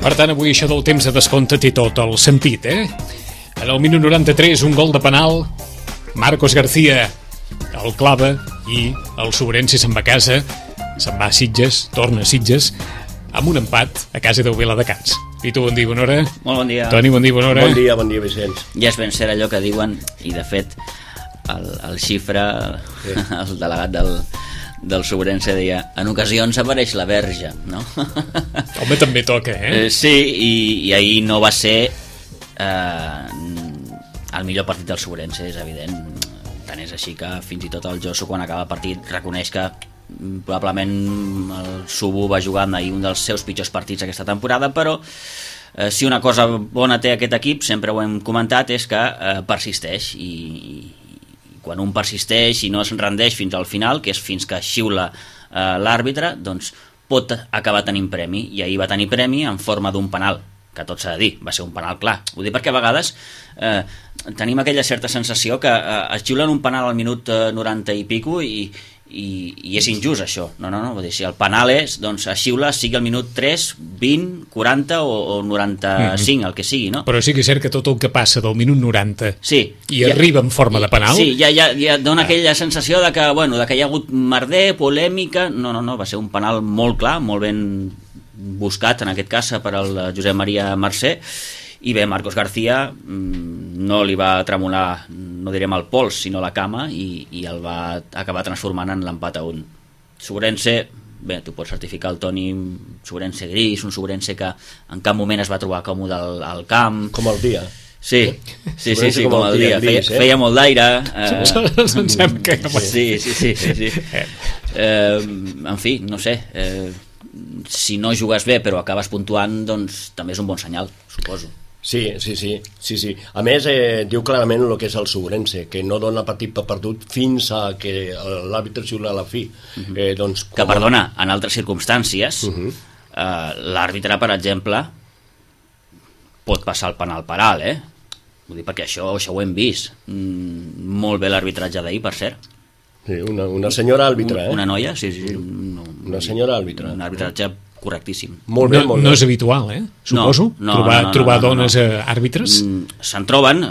Per tant, avui això del temps de descompte té tot el sentit, En el minut 93, un gol de penal, Marcos García el clava i el Sobrense se'n va a casa, se'n va a Sitges, torna a Sitges, amb un empat a casa del Viladecans. Pitu, bon dia, bona hora. Molt bon dia. Toni, bon dia, bona hora. Bon dia, Vicenç. Ja és ben cert allò que diuen, i de fet el xifre, sí. El delegat del Sobrense deia, en ocasions apareix la verge, no? Home, també toca, Sí, i ahir no va ser el millor partit del Sobrense, és evident. Tant és així que fins i tot el Josu, quan acaba el partit, reconeix que probablement el Subu va jugar ahir un dels seus pitjors partits aquesta temporada, però si una cosa bona té aquest equip, sempre ho hem comentat, és que persisteix, i quan un persisteix i no es rendeix fins al final, que és fins que xiula l'àrbitre, doncs pot acabar tenint premi, i ahir va tenir premi en forma d'un penal, que tot s'ha de dir, va ser un penal clar. Ho dic perquè a vegades tenim aquella certa sensació que es xiulen un penal al minut 90 i pico i és injust això. No, vull dir, si el penal és, doncs es xiula, sigui el minut 3, 20, 40 o 95, el que sigui, no? Però sí que és cert que tot el que passa del minut 90 sí, i arriba en forma de penal... Sí, ja dona aquella sensació de que, bueno, de que hi ha hagut merder, polèmica... No, va ser un penal molt clar, molt ben buscat, en aquest cas, per al Josep Maria Mercè, i bé, Marcos García no li va tremolar, no direm el pols, sinó la cama, i el va acabar transformant en l'empat a 1. Sobrense, bé, tu pots certificar el Toni, Sobrense gris, un Sobrense que en cap moment es va trobar còmode al camp. Com el dia. Sí, com el dia. Feia molt d'aire. Pensem que... Sí. En fi, no sé... si no jugues bé però acabes puntuant, doncs també és un bon senyal, suposo. Sí. A més, diu clarament el que és el Sobrense, que no dona partit per perdut fins a que l'àrbitre xiula a la fi. Doncs, que, perdona, en altres circumstàncies, l'àrbitre, per exemple, pot passar el penal per alt, Vull dir, perquè això ho hem vist. Molt bé l'arbitratge d'ahir, per cert. Sí, una senyora àrbitre, Una noia, sí. Una senyora àrbitre. Un arbitratge correctíssim. Molt bé. No és habitual, suposo? Trobar dones àrbitres? Se'n troben.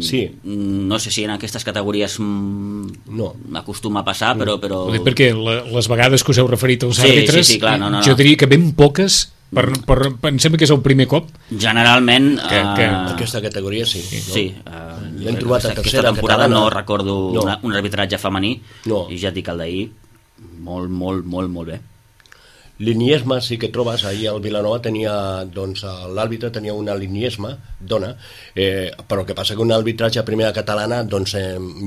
Sí. No sé si en aquestes categories m'acostuma a passar, però... Ho dic perquè les vegades que us heu referit als àrbitres, sí, clar, jo diria que ben poques... em sembla que és el primer cop generalment aquesta categoria sí. L'hem trobat a aquesta temporada catalana. no recordo un arbitratge femení i ja et dic el d'ahir molt bé. L'iniesma sí que trobes, ahir al Vilanova tenia, doncs l'àrbitre tenia una liniesma, dona, però que passa que un arbitratge a primera catalana, doncs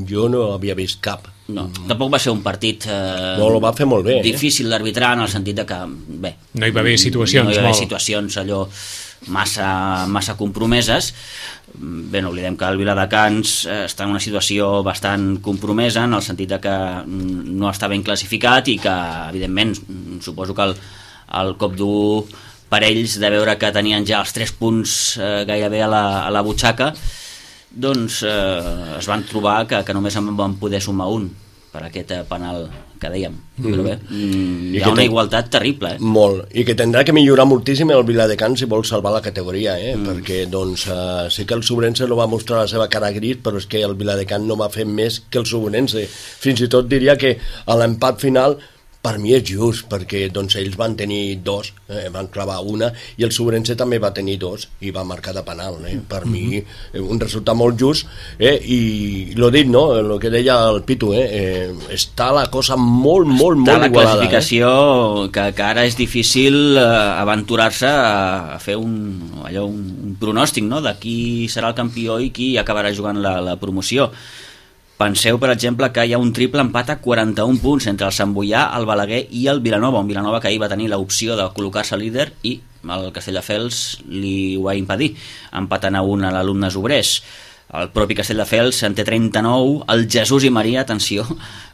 jo no havia vist cap. No, tampoc va ser un partit no, ho va fer molt bé, difícil d'arbitrar, en el sentit de que bé, no hi va haver situacions, no hi va haver situacions allò massa compromeses. Bé, no oblidem que el Viladecans està en una situació bastant compromesa, en el sentit de que no està ben classificat i que, evidentment, suposo que el cop dur per ells, de veure que tenien ja els 3 punts gairebé a la butxaca, doncs es van trobar que només en van poder sumar un per aquest penal que dèiem. Però bé, hi ha una igualtat terrible. Molt, i que tindrà que millorar moltíssim el Viladecans si vol salvar la categoria, perquè doncs sí que el Sobrense no va mostrar la seva cara gris, però és que el Viladecans no va fer més que el Sobrense. Fins i tot diria que a l'empat final per mi és just, perquè doncs, ells van tenir 2, van clavar una, i el Sobrense també va tenir 2 i va marcar de penal. Per mi, un resultat molt just, i l'ho dit, no? El que deia el Pitu, està la cosa molt està la igualada. Classificació que ara és difícil aventurar-se a fer un pronòstic, no? De qui serà el campió i qui acabarà jugant la promoció. Penseu, per exemple, que hi ha un triple empat a 41 punts entre el Sant Boià, el Balaguer i el Vilanova, un Vilanova que ahir va tenir l'opció de col·locar-se líder i el Castelldefels li ho va impedir, empatant a 1 a l'Alumnes Obrers. El propi Castelldefels en té 39, el Jesús i Maria, atenció,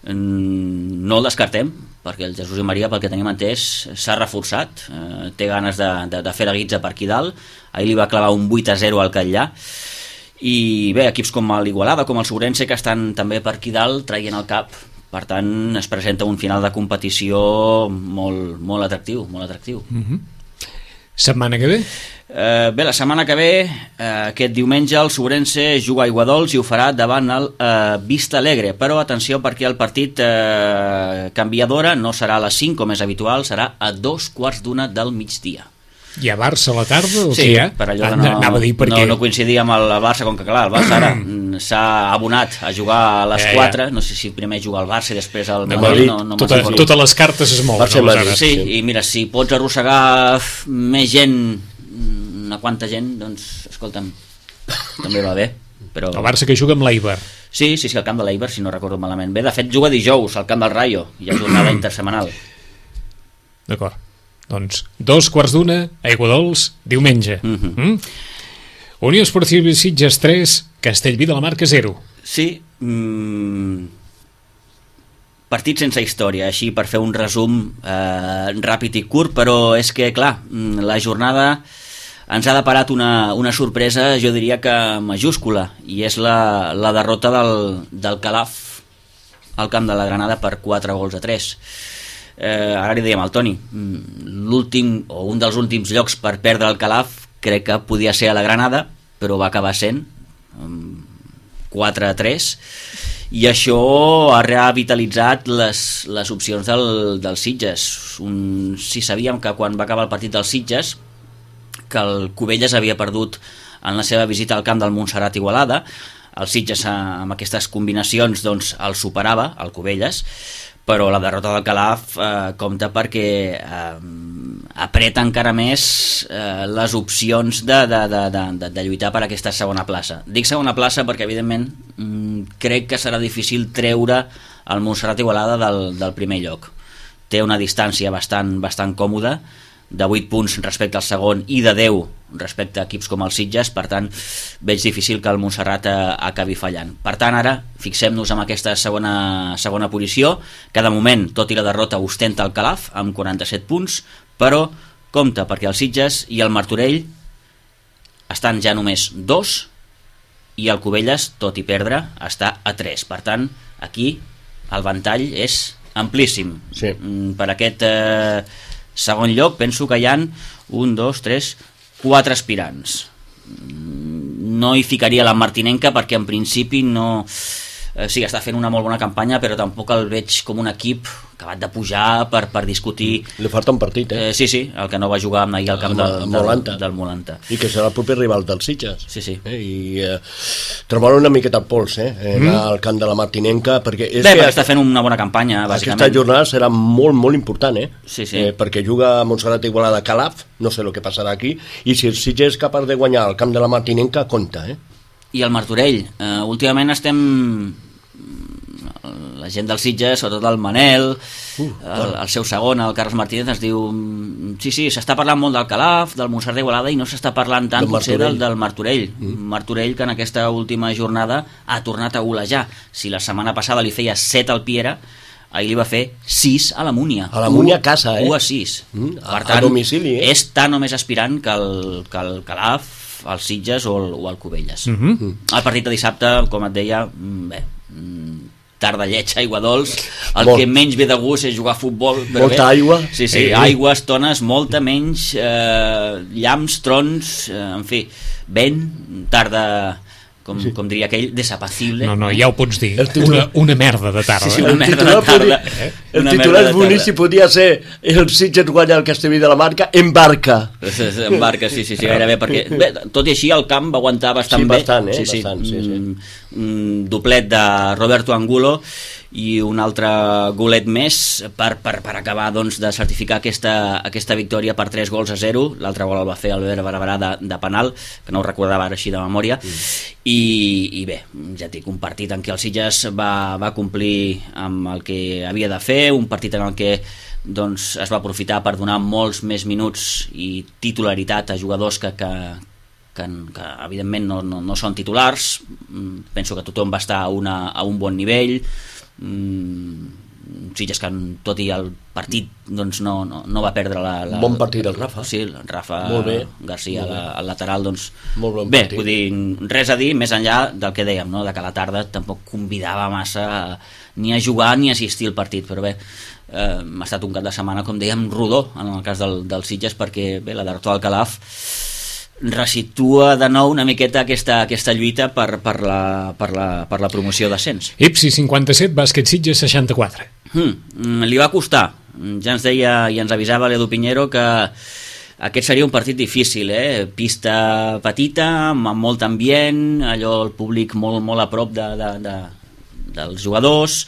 no el descartem, perquè el Jesús i Maria, pel que tenim entès, s'ha reforçat, té ganes de fer la guitza per aquí dalt, ahir li va clavar un 8-0 al Catllà, i bé, equips com l'Igualada, com el Sobrense, que estan també per aquí dalt traient el cap. Per tant, es presenta un final de competició molt atractiu, molt atractiu. Setmana que ve? Bé, la setmana que ve, aquest diumenge, el Sobrense juga a Aiguadols i ho farà davant el Vista Alegre, però atenció perquè el partit canvia d'hora, no serà a les 5 com és habitual, serà a 2:15 del migdia. Hi ha Barça a la tarda o sí, què hi ha? Per allò de no coincidir amb el Barça, com que clar, el Barça ara s'ha abonat a jugar a les 4, no sé si primer juga el Barça i després el Madrid, totes les cartes es mouen. Sí, i mira, si pots arrossegar més gent, una quanta gent, doncs, escolta'm, també va bé. Però... El Barça que juga amb l'Eibar. Sí, al camp de l'Eibar, si no recordo malament. Bé, de fet, juga dijous al camp del Rayo, hi ha jornada intersemanal. D'acord. Doncs 2:15, Aiguadols, diumenge. Unió Esportiva Sitges 3, Castellví de la Marca 0. Sí, partit sense història, així per fer un resum ràpid i curt, però és que, clar, la jornada ens ha deparat una sorpresa, jo diria que majúscula, i és la derrota del Calaf al camp de la Granada per 4-3. Ara li dèiem al Toni, l'últim o un dels últims llocs per perdre el Calaf crec que podia ser a la Granada, però va acabar sent 4-3, i això ha revitalitzat les opcions del Sitges. Si sabíem que quan va acabar el partit del Sitges que el Cubelles havia perdut en la seva visita al camp del Montserrat Igualada, el Sitges amb aquestes combinacions doncs el superava, el Cubelles, però la derrota del Calaf compta perquè apreta encara més les opcions de lluitar per aquesta segona plaça. Dic segona plaça perquè evidentment crec que serà difícil treure el Montserrat Igualada del primer lloc. Té una distància bastant còmoda, de 8 punts respecte al segon i de 10 respecte a equips com el Sitges, per tant veig difícil que el Montserrat acabi fallant. Per tant, ara fixem-nos en aquesta segona posició, que de moment, tot i la derrota, ostenta el Calaf amb 47 punts, però compte perquè el Sitges i el Martorell estan ja només 2 i el Cubelles, tot i perdre, està a 3. Per tant, aquí el ventall és amplíssim. Sí. Per aquest segon lloc penso que hi ha 1, 2, 3, 4 aspirants. No hi ficaria la Martinenca perquè en principi no... Sí, està fent una molt bona campanya, però tampoc el veig com un equip acabat de pujar per discutir... Li falta un partit, Sí, el que no va jugar ahir al camp del Molanta. I que serà el proper rival del Sitges. Sí. I trobar una miqueta el pols, al camp de la Martinenca, perquè... perquè està fent una bona campanya, bàsicament. Aquesta jornada serà molt, molt important, Sí. Perquè juga a Montserrat Igualada Calaf, no sé el que passarà aquí, i si el Sitges és capaç de guanyar al camp de la Martinenca, compta, I el Martorell, últimament estem... la gent del Sitges, sobretot el Manel, el seu segon, el Carles Martínez, ens diu sí, s'està parlant molt del Calaf, del Montserrat d'Igualada, i no s'està parlant tant potser del Martorell. Martorell que en aquesta última jornada ha tornat a golejar. Si la setmana passada li feia 7 al Piera, ahir li va fer 6 a la Múnia. A la Múnia a casa, 1-6. Per tant, a domicili, és tan o més aspirant que el Calaf, el Sitges o el Cubelles. El partit de dissabte, com et deia, tarda lletja, Aiguadols, que menys ve de gust és jugar a futbol, però molta aigua. Sí, aigua, estones, molta menys, llamps, trons, en fi, vent, tarda, com diria aquell, desapacible. No, ja ho pots dir, una merda de tarda. Sí, una merda de tarda. El titular és boníssim, podia ser el Sitges guanya el Castellví de la Marca en barca. En barca, sí, gairebé, perquè tot i així el camp va aguantar bastant bé. Bastant. Un doblet de Roberto Angulo i un altre golet més per acabar doncs, de certificar aquesta victòria per 3-0. L'altre gol el va fer Albert Barberà de penal, que no ho recordava ara així de memòria. I bé, ja et dic, un partit en què el Sitges va complir amb el que havia de fer, un partit en el que doncs, es va aprofitar per donar molts més minuts i titularitat a jugadors que evidentment no són titulars. Penso que tothom va estar a un bon nivell. Sitges que tot i el partit doncs no va perdre bon partit el Rafa. Sí, el Rafa García al lateral, doncs bé, vull dir, res a dir més enllà del que dèiem, no? De que a la tarda tampoc convidava massa ni a jugar ni a assistir al partit, però bé, ha estat un cap de setmana, com dèiem, rodó en el cas del Sitges, perquè bé, la derrota del Calaf resitua de nou una miqueta aquesta lluita per la promoció d'ascens. Ipsi 57, Bàsquet Sitges 64. Li va costar. Ja ens deia i ens avisava l'Edu Piñero que aquest seria un partit difícil, pista petita, amb molt ambient, allò el públic molt a prop dels jugadors,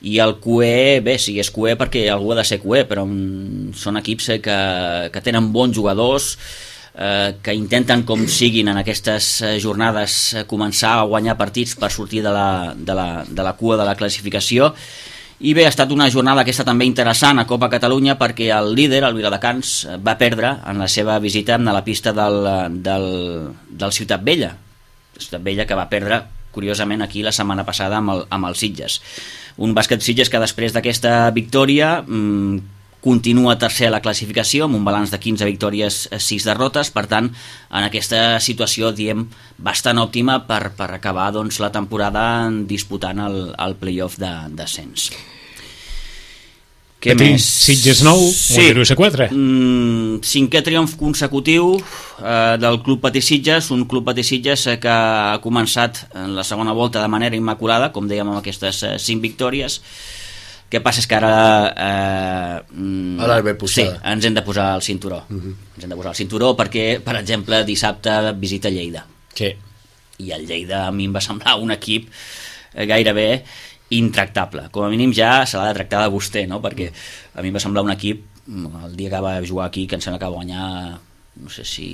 i el cué, bé, sí, és cué perquè algú ha de ser cué, però són equips que tenen bons jugadors, que intenten com siguin en aquestes jornades començar a guanyar partits per sortir de la cua de la classificació. I bé, ha estat una jornada aquesta també interessant a Copa Catalunya, perquè el líder, el Viladecans, va perdre en la seva visita a la pista del Ciutat Vella. Ciutat Vella que va perdre curiosament aquí la setmana passada amb el Sitges. Un Bàsquet Sitges que després d'aquesta victòria continua tercer a la classificació amb un balanç de 15 victòries, 6 derrotes. Per tant, en aquesta situació, diem, bastant òptima per acabar doncs, la temporada disputant el play-off d'ascens. Què més? Sitges 9, Mollerussa 4. Cinquè triomf consecutiu del Club Patí Sitges, un Club Patí Sitges que ha començat en la segona volta de manera immaculada, com dèiem, amb aquestes 5 victòries. Què passa és que ara sí, ens hem de posar el cinturó. Ens hem de posar el cinturó perquè, per exemple, dissabte visita Lleida. Sí. I el Lleida a mi em va semblar un equip gairebé intractable. Com a mínim ja se l'ha de tractar de vostè, no? Perquè a mi em va semblar un equip, el dia que va jugar aquí, que em sembla que va guanyar, no sé si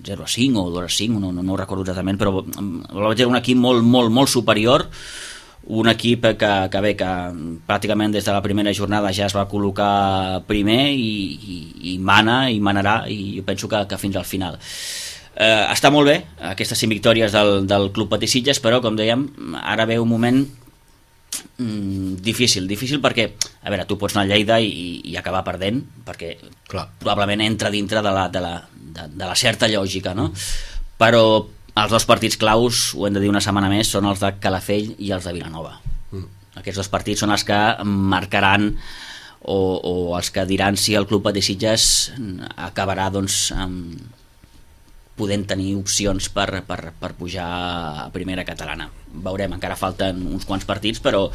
0-5 o 2-5, no ho recordo exactament, però va ser un equip molt superior, un equip que bé, que pràcticament des de la primera jornada ja es va col·locar primer i manarà, i jo penso que fins al final. Està molt bé aquestes 5 victòries del Club Patí Sitges, però com dèiem, ara ve un moment difícil perquè, a veure, tu pots anar a Lleida i acabar perdent, perquè clar, probablement entra dintre de la certa lògica, no? Però els dos partits claus, ho hem de dir una setmana més, són els de Calafell i els de Vilanova. Aquests dos partits són els que marcaran o els que diran si el Club Patí Sitges acabarà doncs podent tenir opcions per pujar a primera catalana. Veurem, encara falten uns quants partits, però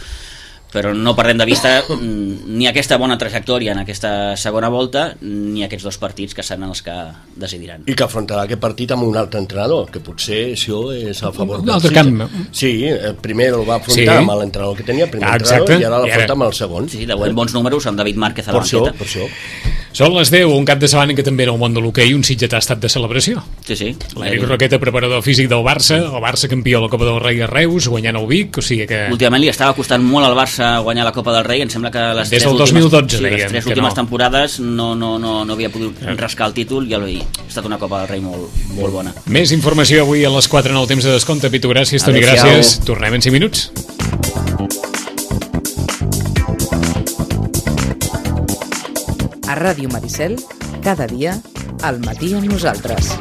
no perdem de vista ni aquesta bona trajectòria en aquesta segona volta ni aquests dos partits que seran els que decidiran. I que afrontarà aquest partit amb un altre entrenador, que potser això és a favor un altre camp. Sí, primer el va afrontar amb l'entrenador que tenia, primer entrenador, i ara l'afronta amb el segon. Sí, de bons números amb David Márquez a la banqueta. Per això. Són les 10, un cap de setmana que també en el món de l'hoquei un sitgetà ha estat de celebració. Sí. L'Eric Roqueta, preparador físic del Barça, el Barça campió a la Copa del Rei a Reus, guanyant el Vic, o sigui que... Últimament li estava costant molt al Barça guanyar la Copa del Rei, em sembla que les des del 2012 les tres últimes temporades no havia pogut rascar el títol, i ha estat una Copa del Rei molt bona. Més informació avui a les 4 en el temps de descompte. Pitu, gràcies, Toni, gràcies. Tornem en 5 minuts. A Ràdio Maricel, cada dia, al matí amb nosaltres.